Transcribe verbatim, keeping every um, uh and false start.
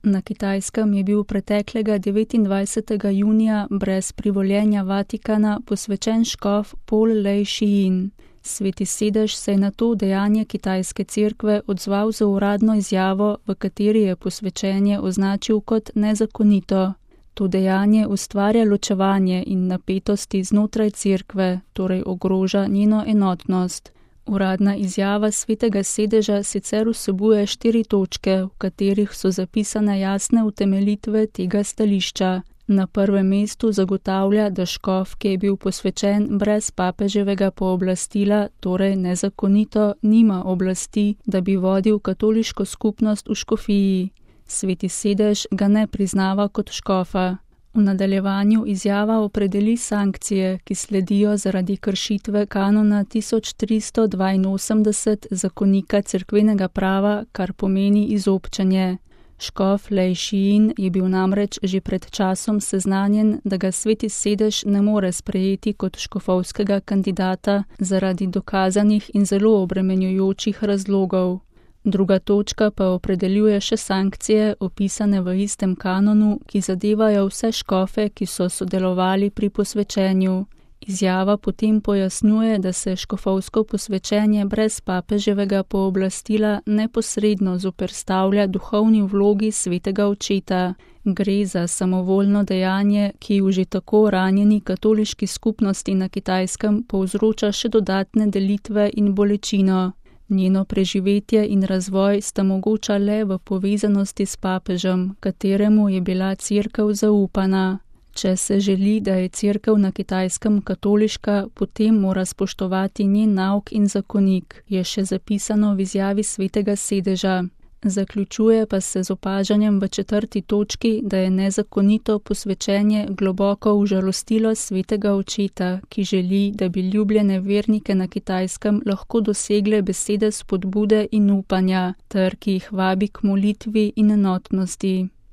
Na Kitajskem je bil preteklega devetindvajsetega junija brez privoljenja Vatikana posvečen škof Pol Lej Šijin. Sveti sedež se je na to dejanje kitajske cerkve odzval z uradno izjavo, v kateri je posvečenje označil kot nezakonito. To dejanje ustvarja ločevanje in napetosti znotraj cerkve, torej ogroža njeno enotnost. Uradna izjava svetega sedeža sicer vsebuje štiri točke, v katerih so zapisane jasne utemeljitve tega stališča. Na prvem mestu zagotavlja, da škof, ki je bil posvečen brez papeževega pooblastila, torej nezakonito, nima oblasti, da bi vodil katoliško skupnost v škofiji. Sveti sedež ga ne priznava kot škofa. V nadaljevanju izjava opredeli sankcije, ki sledijo zaradi kršitve kanona tisoč tristo dvainosemdeset zakonika cerkvenega prava, kar pomeni izobčenje. Škof Lej Šijin je bil namreč že pred časom seznanjen, da ga sveti sedež ne more sprejeti kot škofovskega kandidata zaradi dokazanih in zelo obremenjujočih razlogov. Druga točka pa opredeljuje še sankcije, opisane v istem kanonu, ki zadevajo vse škofe, ki so sodelovali pri posvečenju. Izjava potem pojasnjuje, da se škofovsko posvečenje brez papeževega pooblastila neposredno zoperstavlja duhovni vlogi svetega očeta. Gre za samovoljno dejanje, ki v že tako ranjeni katoliški skupnosti na Kitajskem povzroča še dodatne delitve in bolečino. Njeno preživetje in razvoj sta mogoča le v povezanosti s papežem, kateremu je bila cerkev zaupana. Če se želi, da je cerkev na Kitajskem katoliška, potem mora spoštovati njen nauk in zakonik, je še zapisano v izjavi svetega sedeža. Zaključuje pa se z opažanjem v četrti točki, da je nezakonito posvečenje globoko užalostilo svetega očeta, ki želi, da bi ljubljene vernike na Kitajskem lahko dosegle besede spodbude in upanja, ter ki jih vabi k molitvi in enotnosti.